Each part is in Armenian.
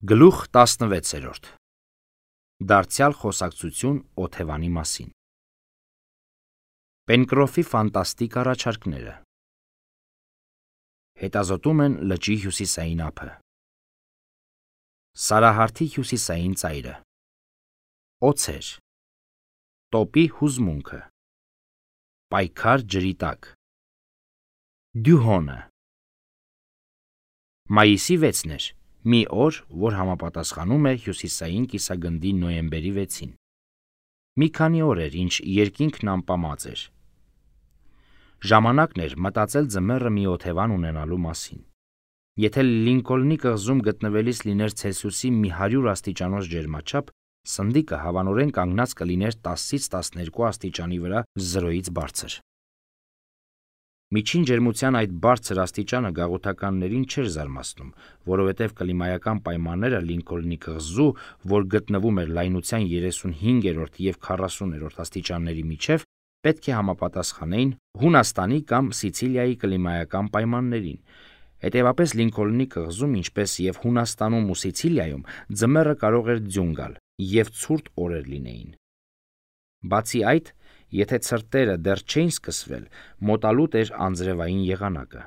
Գլուխ 16 Դարձյալ խոսակցություն Օթևանի մասին Պենկրոֆի ֆանտաստիկ առաջարկները Հետազոտում են լճի հյուսիսային ափը Սարահարթի հյուսիսային ծայրը Օձեր Տոպի հուզմունքը Պայքար ջրի տակ Դյուհոնը Մայիսի 6-ն էր, մի օր, որ համապատասխանում է հյուսիսային կիսագնդի նոյեմբերի 6-ին։ Մի քանի օր էր, ինչ երկինքն անպամած էր։ Ժամանակն էր մտածել ձմեռը մի օթևան ունենալու մասին։ Եթե Լինկոլնի կղզում գտնվելիս լիներ Ցելսիուսի մի 100 աստիճանոց ջերմաչափ, սնդիկը հավանորեն կանգնած կլիներ 10-ից 12 աստիճանի վրա 0-ից բարձր։ Միջին ջերմության այդ բարձր աստիճանը գաղութականներին չէր զարմացնում, որովհետև կլիմայական պայմանները Լինկոլնի կղզու, որ գտնվում էր լայնության 35-րդ և 40-րդ աստիճանների միջև, պետք է համապատասխանեին Հունաստանի կամ Սիցիլիայի կլիմայական պայմաններին։ Հետևաբար Լինկոլնի կղզում, ինչպես և Հունաստանում ու Սիցիլիայում, ձմեռը կարող էր ձյուն գալ, և ցուրտ օրեր լինեին։ Բացի այդ, եթե ցրտերը դեռ չէին սկսվել, մոտալուտ էր անձրևային եղանակը։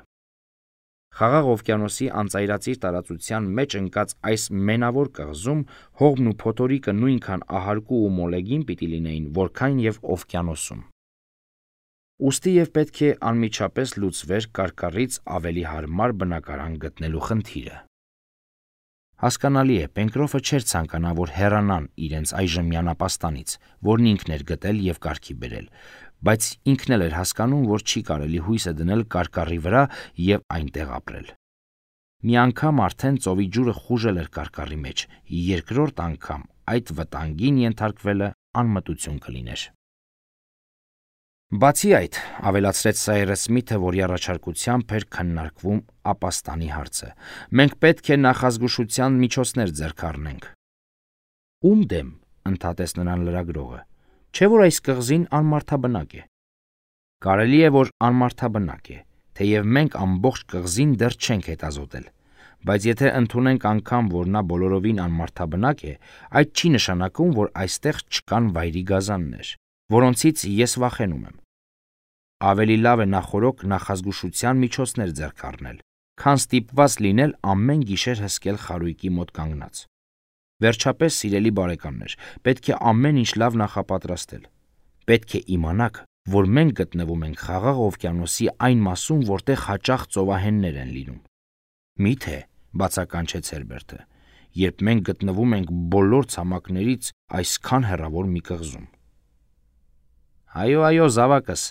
Խաղաղ օվկիանոսի անծայրածիր տարածության մեջ ընկած այս մենավոր կղզում հողմն ու փոթորիկը նույնքան ահարկու ու մոլեգին պիտի լինեին, որքան և օվկիանոսում։ Ուստի և պետք է անմիջապես լուծվեր կարկառից ավելի հարմար բնակարան գտնելու խնդիրը։ Հասկանալի է, Պենկրոֆը չէր ցանկանա, որ հեռանան իրենց այժմյան ապաստանից, որն ինքն էր գտել և կարգի բերել, բայց ինքն էլ էր հասկանում, որ չի կարելի հույսը դնել կարկառի վրա և այնտեղ ապրել։ Մի անգամ արդեն ծովի ջուրը խուժել էր կարկառի մեջ, երկրորդ անգամ այդ վտանգին ենթարկվելը անմտություն կլիներ։ Բացի այդ, ավելացրեց Սայրս Սմիթը, որի առաջարկությամբ էր քննարկվում ապաստանի հարցը, մենք պետք է նախազգուշության միջոցներ ձեռք առնենք։ Ում դեմ, ընդհատեց նրան լրագրողը, չէ՞ որ այս կղզին անմարդաբնակ է։ Կարելի է, որ անմարդաբնակ է, թեև մենք ամբողջ կղզին դեռ չենք հետազոտել, բայց եթե ընդունենք անգամ, որ նա բոլորովին անմարդաբնակ է, այդ չի նշանակում, որ այստեղ չկան վայրի գազաններ, որոնցից ես վախենում եմ։ Ավելի լավ է նախօրոք նախազգուշության միջոցներ ձեռք առնել, քան ստիպված լինել ամեն գիշեր հսկել խարույկի մոտ կանգնած։ Վերջապես, սիրելի բարեկամներ, պետք է ամեն ինչ լավ նախապատրաստել։ Պետք է իմանաք, որ մենք գտնվում ենք Խաղաղ օվկիանոսի այն մասում, որտեղ հաճախ ծովահեններ են լինում։ Մի՞թե, բացականչեց Հերբերտը, երբ մենք գտնվում ենք բոլոր ցամաքներից այսքան հեռավոր մի կղզում։ Այո, զավակս,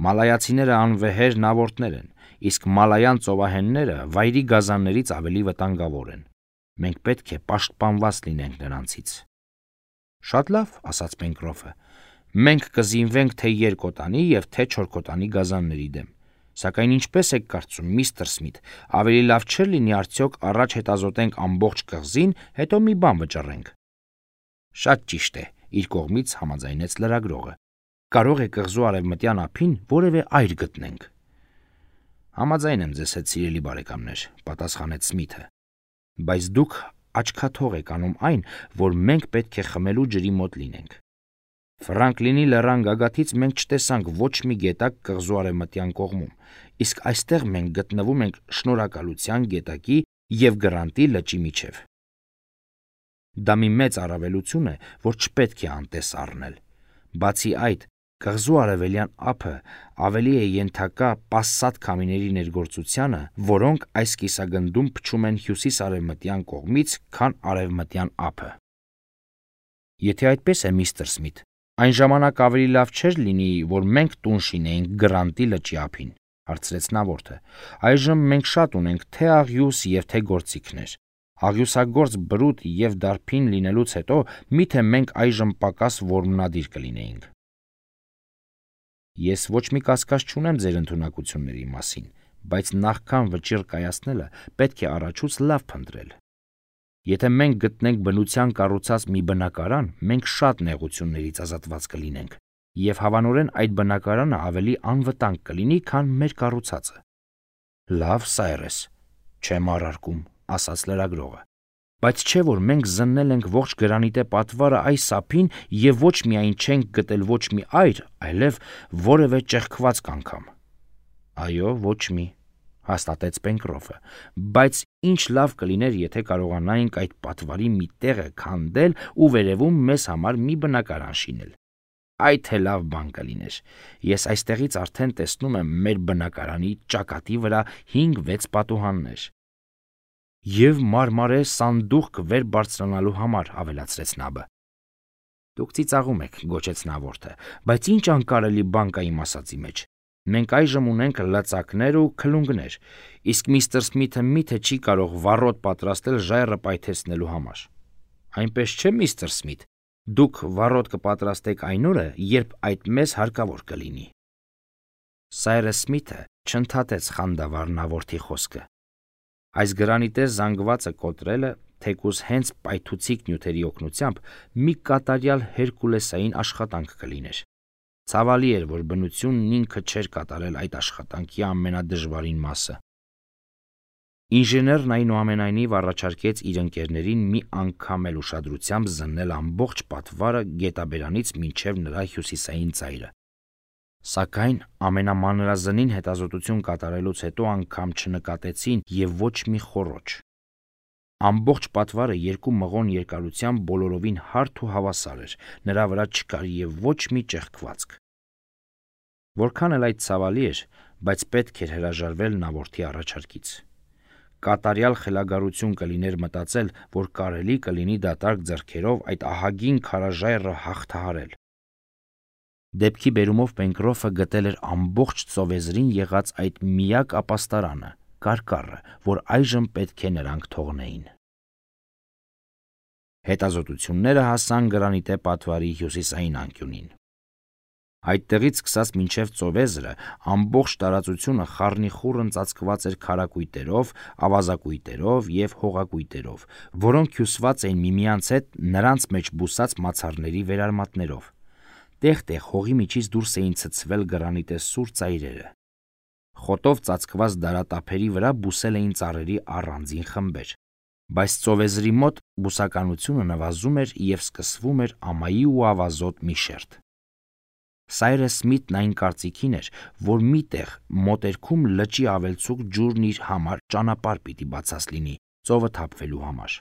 մալայացիները անվեհեր նավորդներ են, իսկ մալայան ծովահենները վայրի գազաններից ավելի վտանգավոր են։ Մենք պետք է պաշտպանված լինենք նրանցից։ Շատ լավ, ասաց Պենկրոֆը, մենք կզինվենք թե երկոտանի և թե չորքոտանի գազանների դեմ։ Սակայն ինչպես եք կարծում, միստր Սմիթ, ավելի լավ չէր լինի արդյոք առաջ հետազոտենք ամբողջ կղզին, հետո մի բան վճռենք։ Շատ ճիշտ է, իր կողմից համաձայնեց լրագրողը։ Կարող է կղզու արևմտյան ափին որևէ այր գտնենք։ Համաձայն եմ ձեզ հետ, սիրելի բարեկամներ, պատասխանեց Սմիթը, բայց դուք աչքաթող եք անում այն, որ մենք պետք է խմելու ջրի մոտ լինենք։ Ֆրանկլինի լեռան գագաթից մենք չտեսանք ոչ մի գետակ կղզու արևմտյան կողմում, իսկ այստեղ մենք գտնվում ենք Շնորհակալության գետակի և Գրանտի լճի միջև։ Դա մի մեծ առավելություն է, որ չպետք է անտես առնել։ Բացի այդ, կղզու արևելյան ափը ավելի է ենթակա պասսատ քամիների ներգործությանը, որոնք այս կիսագնդում փչում են հյուսիս-արևմտյան կողմից, քան արևմտյան ափը։ Եթե այդպես է, միստր Սմիթ, այն ժամանակ ավելի լավ չէր լինի, որ մենք տուն շինեինք Գրանտի լճի ափին, հարցրեց նավորդը։ Այժմ մենք շատ ունենք թե աղյուս և թե գործիքներ։ Աղյուսագործ բրուտ և դարբին լինելուց հետո միթե մենք այժմ պակաս որմնադիր կլինեինք։ Ես ոչ մի կասկած չունեմ ձեր ընդունակությունների մասին, բայց նախքան վճիռ կայացնելը պետք է առաջուց լավ փնտրել։ Եթե մենք գտնենք բնության կառուցած մի բնակարան, մենք շատ նեղություններից ազատված կլինենք, և հավանորեն այդ բնակարանը ավելի անվտանգ կլինի, քան մեր կառուցածը։ Լավ, Սայրես, չեմ առարկում, ասաց լրագրողը։ Բայց չէ որ մենք զննել ենք ողջ գրանիտե պատվարը այս ափին եւ ոչ միայն չենք գտել ոչ մի այր, այլև որևէ ճեղքվածք անգամ։ Այո, ոչ մի, հաստատեց Պենկրոֆը, բայց ինչ լավ կլիներ, եթե կարողանայինք այդ պատվարի մի տեղը քանդել ու վերևում մեզ համար մի բնակարան շինել։ Այդ թե լավ բան կլիներ։ Ես այստեղից արդեն տեսնում եմ մեր բնակարանի ճակատի վրա 5-6 պատուհաններ։ Եվ մարմարե սանդուղք վեր բարձրանալու համար, ավելացրեց Նաբը։ Դուք ծիծաղում եք, գոչեց Նավորդը, բայց ինչ անկարելի բան կա իմ ասածի մեջ։ Մենք այժմ ունենք լծակներ ու քլունգներ, իսկ միստր Սմիթը միթե չի կարող վառոդ պատրաստել ժայռը պայթեցնելու համար։ Այնպես չէ, միստր Սմիթ, դուք վառոդ կպատրաստեք այն օրը, երբ այդ մեզ հարկավոր կլինի։ Սայրս Սմիթը չընդհատեց խանդավառ Նավորդի խոսքը։ Այս գրանիտե զանգվածը կոտրելը, թեկուզ հենց պայթուցիկ նյութերի օգնությամբ, մի կատարյալ հերկուլեսային աշխատանք կլիներ։ Ցավալի էր, որ բնությունն ինքը չէր կատարել այդ աշխատանքի ամենադժվարին մասը։ Ինժեներն այնուամենայնիվ առաջարկեց իր ընկերներին մի անգամ էլ ուշադրությամբ զննել ամբողջ պատվարը գետաբերանից մինչև նրա հյուսիսային ծայրը։ Սակայն ամենամանրազնին հետազոտություն կատարելուց հետո անգամ չնկատեցին եւ ոչ մի խոռոչ։ Ամբողջ պատվարը 2 մղոն երկարությամբ բոլորովին հարթ ու հավասար էր, նրա վրա չկար եւ ոչ մի ճեղքվածք։ Որքան էլ այդ ցավալի էր, բայց պետք էր հրաժարվել Նավորդի առաջարկից։ Կատարյալ խելագարություն կլիներ մտածել, որ կարելի կլինի դատարկ ձեռքերով այդ ահագին քարաժայռը հաղթահարել։ Դեպքի բերումով Պենկրոֆը գտել էր ամբողջ ծովեզրին եղած այդ միակ ապաստարանը, կարկառը, որ այժմ պետք է նրանք թողնեին։ Հետազոտությունները հասան գրանիտե պատվարի հյուսիսային անկյունին։ Այդտեղից սկսած մինչև ծովեզրը ամբողջ տարածությունը խառնիխուռն ծածկված էր քարակույտերով, ավազակույտերով եւ հողակույտերով, որոնք հյուսված էին միմյանց հետ նրանց մեջ բուսած մացառների վերարմատներով։ Տեղ-տեղ հողի միջից դուրս էին ցցվել գրանիտե սուր ծայրերը։ Խոտով ծածկված դարատափերի վրա բուսել էին ծառերի առանձին խմբեր, բայց ծովեզրի մոտ բուսականությունը նվազում էր եւ սկսվում էր ամայի ու ավազոտ մի շերտ։ Սայրս Սմիթն այն կարծիքին էր, որ միտեղ մոտերքում լճի ավելցուկ ջուրն իր համար ճանապարհ պիտի բացած լինի ծովը թափվելու համար։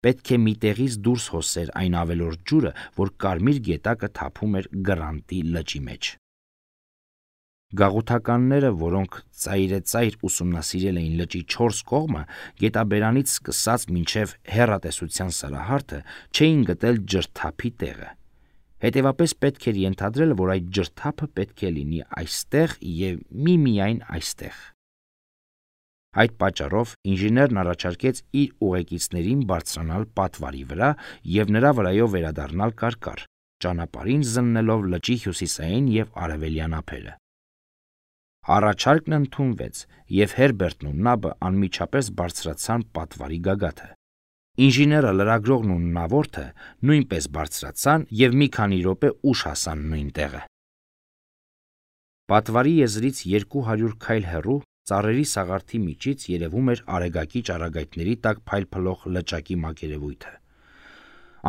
Պետք է միտեղից դուրս հոսեր այն ավելորդ ջուրը, որ կարմիր գետակը թափում էր Գրանտի լճի մեջ։ Գաղութականները, որոնք ծայրեցայր ուսումնասիրել էին լճի 4 կողմը, գետաբերանից սկսած մինչև հեռատեսության սարահարթը, չէին գտել ջրթափի տեղը։ Հետևաբար պետք էր ենթադրել, որ այդ ջրթափը պետք է լինի այստեղ եւ միմիայն այստեղ։ Այդ պատճառով ինժեներն առաջարկեց իր ուղեկիցներին բարձրանալ պատվարի վրա եւ նրա վրայով վերադառնալ կարկառ, ճանապարհին զննելով լճի հյուսիսային եւ արևելյան ափերը։ Առաջարկն ընդունվեց, եւ Հերբերտն ու Նաբը անմիջապես բարձրացան պատվարի գագաթը։ Ինժեները, լրագրողն ու Նավորդը նույնպես բարձրացան եւ մի քանի րոպե ուշ հասան նույն տեղը։ Պատվարի եզրից 200 քայլ հեռու ծառերի սաղարթի միջից երևում էր արեգակի ճառագայթների տակ փայլփլող լճակի մակերևույթը։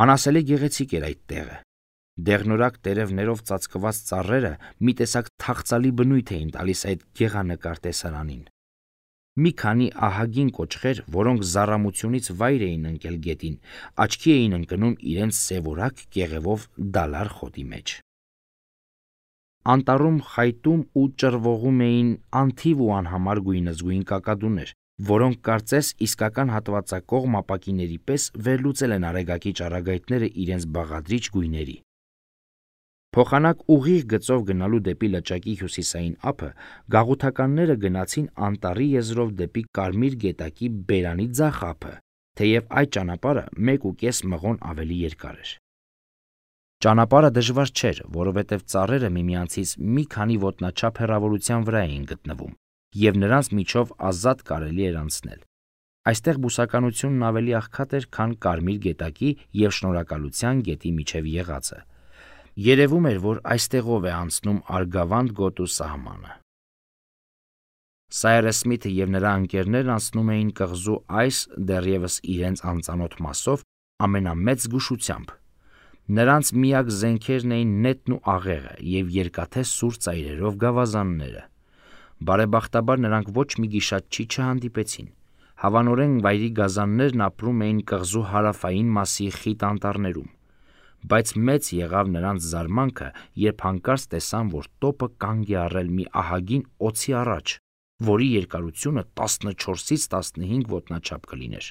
Անասելի գեղեցիկ էր այդ տեղը։ Դեղնորակ տերևներով ծածկված ծառերը մի տեսակ թախծալի բնույթ էին տալիս այդ գեղանկար տեսարանին։ Մի քանի ահագին կոճղեր, որոնք զառամությունից վայր էին ընկել գետին, աչքի էին ընկնում իրենց սևորակ կեղևով դալար խոտի մեջ։ Անտառում խայտում ու ճռվողում էին անթիվ ու անհամար գույնզգույն կակադուներ, որոնք կարծես իսկական հատվածակողմ ապակիների պես վերլուծել են արեգակի ճառագայթները իրենց բաղադրիչ գույների։ Փոխանակ ուղիղ գծով գնալու դեպի լճակի հյուսիսային ափը գաղութականները գնացին անտառի եզրով դեպի Կարմիր գետակի բերանի ձախ ափը, թեև այդ ճանապարհը 1.5 մղոն ավելի երկար էր։ Ճանապարհը դժվար չէր, որովհետև ծառերը միմյանցից մի քանի ոտնաչափ հեռավորության վրա էին գտնվում, եւ նրանց միջով ազատ կարելի էր անցնել։ Այստեղ բուսականությունն ավելի աղքատ էր, քան Կարմիր գետակի եւ Շնորհակալության գետի միջև եղածը։ Երևում էր, որ այստեղով է անցնում Արգավանդ գոտու սահմանը։ Սայրես Սմիթը եւ նրա ընկերներն անցնում էին կղզու այս դեռևս իրենց անծանոթ մասով ամենամեծ զգուշությամբ։ Նրանց միակ զենքերն էին նետն ու աղեղը եւ երկաթե սուր ծայրերով գավազանները։ Բարեբախտաբար նրանք ոչ մի գիշատչի չհանդիպեցին։ Հավանորեն վայրի գազաններն ապրում էին կղզու հարավային մասի խիտ անտառներում։ Բայց մեծ եղավ նրանց զարմանքը, երբ հանկարծ տեսան, որ տոպը կանգ է առել մի ահագին օձի առաջ, որի երկարությունը 14-ից 15 ոտնաչափ կլիներ։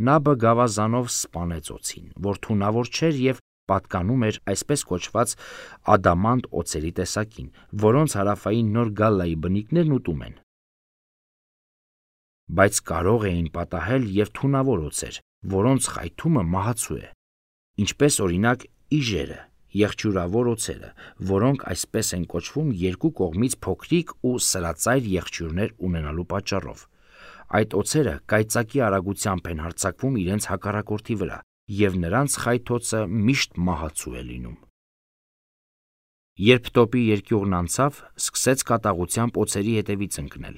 Նաբը գավազանով սպանեց օձին, որ թունավոր չէր եւ պատկանում էր այսպես կոչված ադամանտ օձերի տեսակին, որոնց հարավային Նոր Գալլայի բնիկներն ուտում են։ Բայց կարող էին պատահել եւ թունավոր օձեր, որոնց խայթումը մահացու է, ինչպես օրինակ իժերը, եղջյուրավոր օձերը, որոնք այսպես են կոչվում երկու կողմից փոքրիկ ու սրածայր եղջյուրներ ունենալու պատճառով։ Այդ օձերը կայծակի արագությամբ են հարձակվում իրենց հակառակորդի վրա, եւ նրանց խայթոցը միշտ մահացու է լինում։ Երբ տոպի երկյուղն անցավ, սկսեց կատաղությամբ օձերի հետևից ընկնել,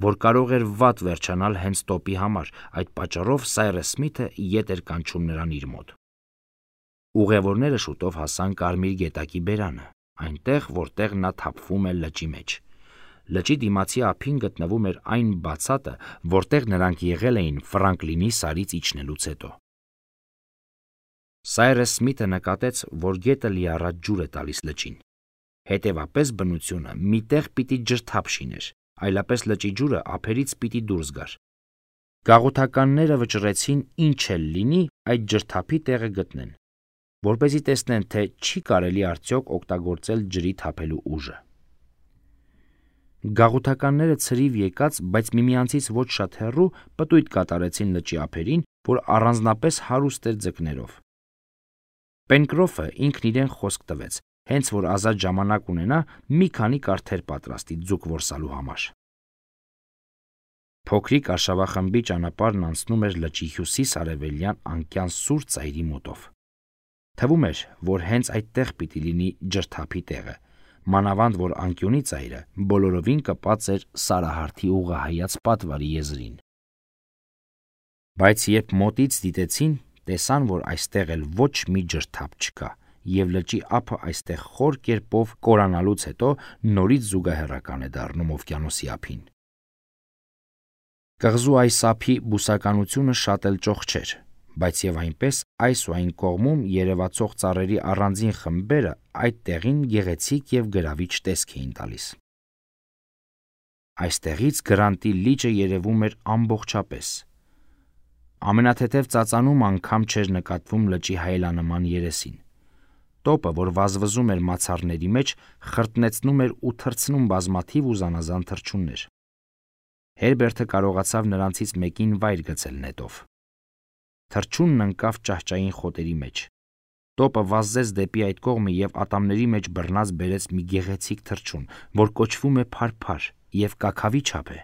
որ կարող էր վատ վերջանալ հենց տոպի համար, այդ պատճառով Սայրես Սմիթը ետ էր կանչում նրան իր մոտ։ Ուղևորները շուտով հասան Կարմիր գետակի բերանը, այնտեղ, որտեղ նա թափվում է լճի մեջ։ Լճի դիմացի ափին գտնվում էր այն բացատը, որտեղ նրանք եղել էին Ֆրանկլինի սարից իջնելուց հետո։ Սայրես Սմիթը նկատեց, որ գետը լիառատ ջուր է տալիս լճին։ Հետևապես բնությունը մի տեղ պիտի ջրթափ շիներ, այլապես լճի ջուրը ափերից պիտի դուրս գար։ Գաղութականները վճռեցին ինչ էլ լինի այդ ջրթափի տեղը գտնեն, որպեսզի տեսնեն, թե չի կարելի արդյոք օգտագործել ջրի թափելու ուժը։ Գաղութականները ցրիվ եկած, բայց միմյանցից ոչ շատ հեռու պտույտ կատարեցին լճի ափերին, որ առանձնապես հարուստ էր ձկներով։ Պենկրոֆը ինքն իրեն խոսք տվեց, հենց որ ազատ ժամանակ ունենա, մի քանի կարթեր պատրաստի ձուկ որսալու համար։ Փոքրիկ արշավախմբի ճանապարհն անցնում էր լճի հյուսիս-արևելյան անկյան սուր ծայրի մոտով։ Թվում էր, որ հենց այդտեղ պիտի լինի ջրթափի տեղը, մանավանդ որ անկյունի ծայրը բոլորովին կպած էր Սարահարթի ուղղահայաց պատվարի եզրին։ Բայց երբ մոտից դիտեցին, տեսան, որ այստեղ էլ ոչ մի ջրթափ չկա, եւ լճի ափը այստեղ խոր կերպով կորանալուց հետո նորից զուգահեռական է դառնում օվկիանոսի ափին։ Կղզու այս ափի բուսականությունը շատ էլ ճոխ չէր, բայց եւ այնպես այս ու այն կողմում երևացող ծառերի առանձին խմբերը այդ տեղին գեղեցիկ եւ գրավիչ տեսք էին տալիս։ Այստեղից Գրանտի լիճը երևում էր ամբողջապես։ Ամենաթեթև ծածանում անգամ չէր նկատվում լճի հայելանման երեսին։ Տոպը, որ վազվզում էր մացառների մեջ, խրտնեցնում էր ու թռցնում բազմաթիվ ու զանազան թռչուններ։ Հերբերտը կարողացավ նրանցից մեկին վայր գցել նետով։ Թռչունն ընկավ ճահճային խոտերի մեջ։ Տոպը վազեց դեպի այդ կողմը եւ ատամների մեջ բռնած բերեց մի գեղեցիկ թռչուն, որ կոչվում է փարփար եւ կաքավի չափ է։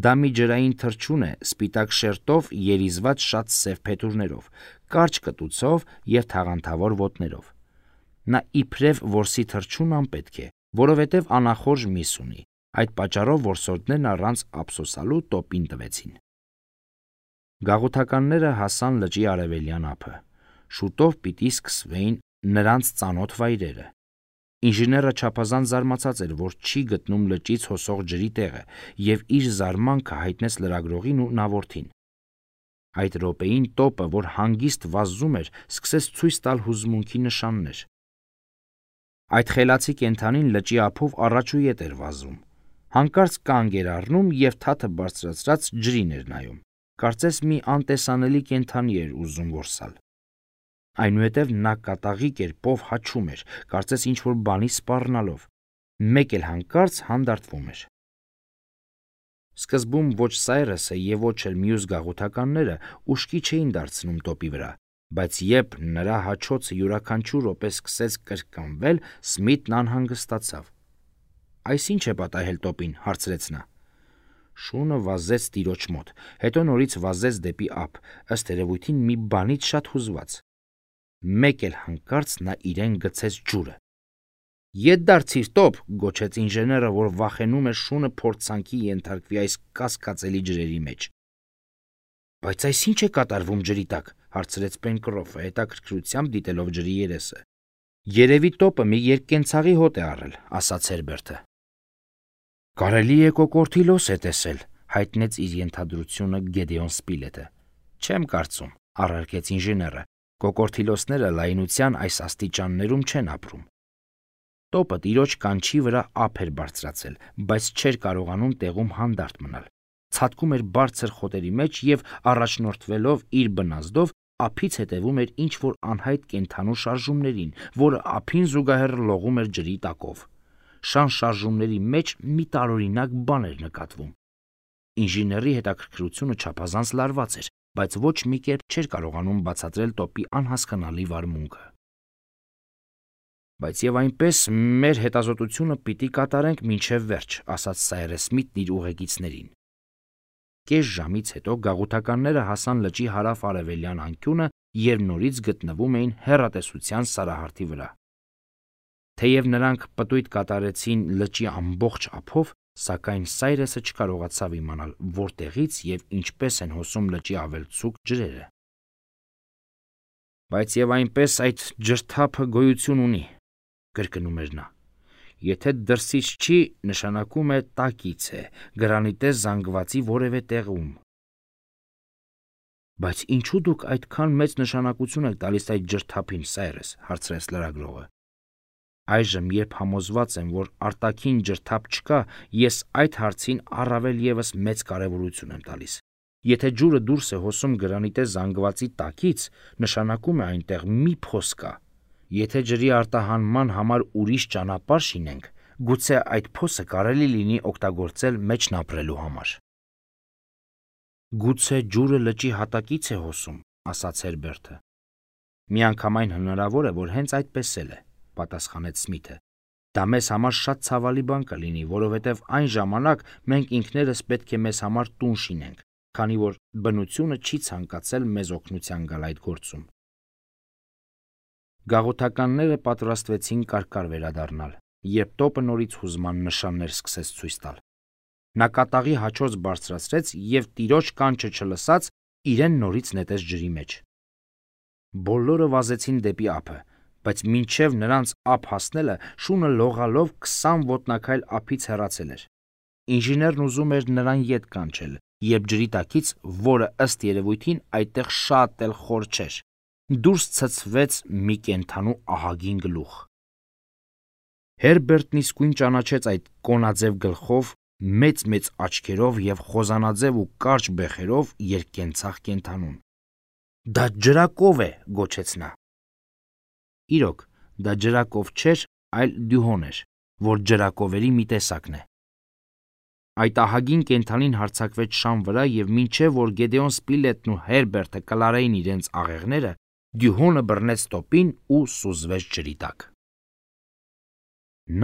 Դա մի ջրային թռչուն է, սպիտակ շերտով, երիզված շատ սև փետուրներով, կարճ կտուցով եւ թաղանթավոր ոտներով։ Նա իբրև որսի թռչուն անպետք է, որովհետեւ անախորժ միս ունի։ Այդ պատճառով որսորդներն առանց ափսոսալու տոպին տվեցին։ Գաղութականները հասան լճի արևելյան ափը։ Շուտով պիտի սկսվեին նրանց ծանոթ վայրերը։ Ինժեները չափազանց զարմացած էր, որ չի գտնում լճից հոսող ջրի տեղը, եւ իր զարմանքը հայտնեց լրագրողին ու նավորդին։ Այդ րոպեին տոպը, որ հանգիստ վազում էր, սկսեց ցույց տալ հուզմունքի նշաններ։ Այդ խելացի կենդանին լճի ափով առաջ ու ետ էր վազում։ Հանկարծ կանգ էր առնում եւ թաթը բարձրացրած ջրին էր նայում։ Կարծես մի անտեսանելի կենդանի էր ուզում որսալ։ Այնուհետև նա կատաղի կերպով հաչում էր, կարծես ինչ-որ բանի սպառնալով, մեկ էլ հանկարծ հանդարտվում էր։ Սկզբում ոչ Սայրեսը եւ ոչ էլ մյուս գաղութականները ուշքի չէին դարձնում տոպի վրա, բայց երբ նրա հաչոցը յուրաքանչյուր րոպե սկսեց կրկնվել, Սմիթն անհանգստացավ։ «Այս ինչ է պատահել տոպին», հարցրեց նա։ Շունը վազեց տիրոջ մոտ, հետո նորից վազեց դեպի ափ, ըստ երևույթին մի բանից շատ հուզված։ Մեկ էլ հանկարծ նա իրեն գցեց ջուրը։ Ետ դարձիր տոպ, գոչեց ինժեները, որ վախենում էր շունը փորձանքի ենթարկվի այս կասկածելի ջրերի մեջ։ Բայց այս ինչ է կատարվում ջրի տակ, հարցրեց Պենկրոֆը, հետաքրքրությամբ դիտելով ջրի երեսը։ Երևի տոպը մի երկկենցաղի հոտ է առել, ասաց Հերբերտը։ Կարելի է կոկորդիլոս է տեսել, հայտնեց իր ենթադրությունը Գեդեոն Սպիլետը։ Չեմ կարծում, առարկեց ինժեները, կոկորդիլոսները լայնության այս աստիճաններում չեն ապրում։ Տոպը տիրոջ կանչի վրա ափ էր բարձրացել, բայց չէր կարողանում տեղում հանդարտ մնալ։ Ցատկում էր բարձր խոտերի մեջ եւ առաջնորդվելով իր բնազդով ափից հետևում էր ինչ-որ անհայտ կենդանու շարժումներին, որը ափին զուգահեռ լողում էր ջրի տակով։ Շան շարժումների մեջ մի տարօրինակ բան էր նկատվում։ Ինժեների հետաքրքրությունը չափազանց լարված էր, բայց ոչ մի կերպ չէր կարողանում բացատրել տոպի անհասկանալի վարմունքը։ Բայց եւ այնպես մեր հետազոտությունը պիտի կատարենք մինչև վերջ, ասաց Սայրես Սմիթն իր ուղեկիցներին։ Կես ժամից հետո գաղութականները հասան լճի հարավ-արևելյան անկյունը եւ նորից գտնվում էին հեռատեսության սարահարթի վրա։ Թեև նրանք պտույտ կատարեցին լճի ամբողջ ափով, սակայն Սայրեսը չկարողացավ իմանալ որտեղից եւ ինչպես են հոսում լճի ավելցուկ ջրերը։ Բայց եւ այնպես այդ ջրթափը գոյություն ունի, կրկնում էր նա։ Եթե դրսից չի, նշանակում է տակից է, գրանիտե զանգվածի որևէ տեղում։ Բայց ինչու դուք այդքան մեծ նշանակություն եք տալիս այդ ջրթափին, Սայրես, հարցրեց լրագրողը։ Այժմ, երբ համոզված եմ, որ արտաքին ջրթափ չկա, ես այդ հարցին առավել եւս մեծ կարեւորություն եմ տալիս։ Եթե ջուրը դուրս է հոսում գրանիտե զանգվածի տակից, նշանակում է այնտեղ մի փոս կա։ Եթե ջրի արտահանման համար ուրիշ ճանապարհ շինենք, գուցե այդ փոսը կարելի լինի օգտագործել մեջն ապրելու համար։ Գուցե ջուրը լճի հատակից է հոսում, ասաց Հերբերտը։ Միանգամայն հնարավոր է, որ հենց այդպես էլ է, պատասխանեց Սմիթը։ Դա մեզ համար շատ ցավալի բան կլինի, որովհետև այն ժամանակ մենք ինքներս պետք է մեզ համար տուն շինենք, քանի որ բնությունը չի ցանկացել մեզ օգնության գալ այդ գործում։ Գաղութականները պատրաստվեցին կարկար վերադառնալ, երբ տոպը նորից հուզման նշաններ սկսեց ցույց տալ։ Նա կատաղի հաչոց բարձրացրեց եւ տիրոջ կանչը չլսած իրեն նորից նետեց ջրի մեջ։ Բոլորը վազեցին դեպի ափը, բայց մինչև նրանց ափ հասնելը շունը լողալով 20 ոտնաքայլ ափից հեռացել էր։ Ինժեներն ուզում էր նրան ետ կանչել, երբ ջրի տակից, որը ըստ երևույթին այդտեղ շատ էլ խոր չէր, դուրս ցցվեց մի կենդանու ահագին գլուխ։ Հերբերտն իսկույն ճանաչեց այդ կոնաձև գլխով, մեծ աչքերով եւ խոզանաձև ու կարճ բեխերով երկկենցաղ կենդանուն։ Դա ջրակով է, գոչեց նա։ Իրոք, դա ջրակով չէր, այլ դյուհոն էր, որ ջրակովերի մի տեսակն է։ Այդ ահագին կենդանին հարձակվեց շան վրա եւ մինչեւ որ Գեդեոն Սպիլետն ու Հերբերտը կլարեին իրենց աղեղները, դյուհոնը բռնեց տոպին ու սուզվեց ջրի տակ։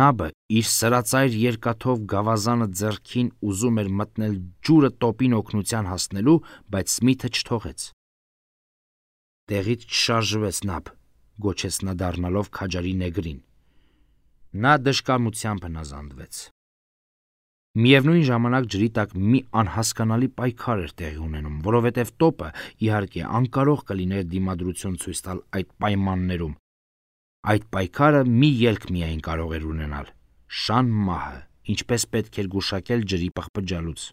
Նաբը իր սրածայր երկաթով գավազանը ձեռքին ուզում էր մտնել ջուրը տոպին օգնության հասնելու, բայց Սմիթը չթողեց։ Տեղից չշարժվեց Նաբ, գոչեց նա դառնալով քաջարի նեգրին։ Նա դժկամությամբ հնազանդվեց։ Միևնույն ժամանակ ջրի տակ մի անհասկանալի պայքար էր տեղի ունենում, որովհետև տոպը, իհարկե, անկարող կլիներ դիմադրություն ցույց տալ այդ պայմաններում։ Այդ պայքարը մի ելք միայն կարող էր ունենալ՝ շան մահը, ինչպես պետք էր գուշակել ջրի պղպջալուց։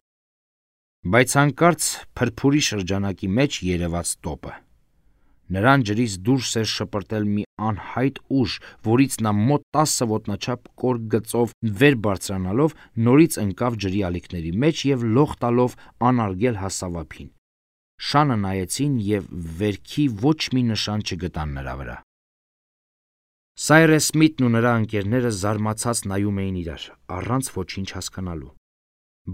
Բայց հանկարծ փրփուրի շրջանակի մեջ երևաց տոպը։ Նրան ջրից դուրս էր շպրտել մի անհայտ ուժ, որից նա մոտ 10 ոտնաչափ կոր գծով վեր բարձրանալով նորից ընկավ ջրի ալիքների մեջ եւ լող տալով անարգել հասավ ափին։ Շանը նայեցին եւ վերքի ոչ մի նշան չգտան նրա վրա։ Սայրես Սմիթն ու նրա ընկերները զարմացած նայում էին իրար, առանց ոչինչ հասկանալու։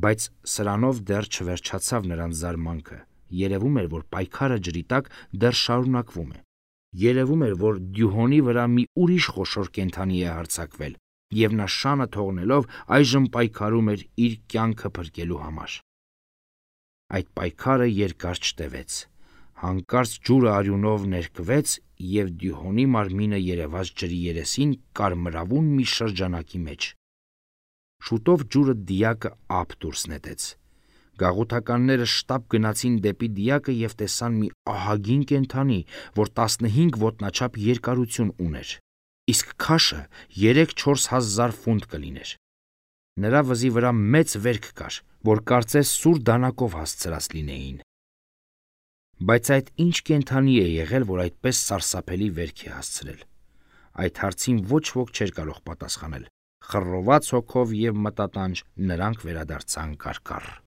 Բայց սրանով դեռ չվերջացավ նրանց զարմանքը։ Երևում էր, որ պայքարը ջրի տակ դեռ շարունակվում է։ Երևում էր, որ դյուհոնի վրա մի ուրիշ խոշոր կենդանի է հարձակվել, եւ նա շանը թողնելով այժմ պայքարում էր իր կյանքը փրկելու համար։ Այդ պայքարը երկար չտևեց։ Հանկարծ ջուրը արյունով ներկվեց և Դյուհոնի մարմինը երևաց ջրի երեսին կարմրավուն մի շրջանակի մեջ։ Շուտով ջուրը դիակը ափ դուրս նետեց։ Գաղութականները շտապ գնացին դեպի դիակը և տեսան մի ահագին կենդանի, որ 15 ոտնաչափ երկարություն ուներ, իսկ քաշը 3-4 հազար ֆունտ կլիներ։ Նրա վզի վրա մեծ վերք կար, որ կարծես սուր դանակով հասցրած լինեին։ Բայց այդ ինչ կենդանի է եղել, որ այդպես սարսափելի վերք է հասցրել։ Այդ հարցին ոչ ոք չէր կարող պատասխանել։ Խռոված հոգով և մտատանջ նրանք վերադարձան կարկառ։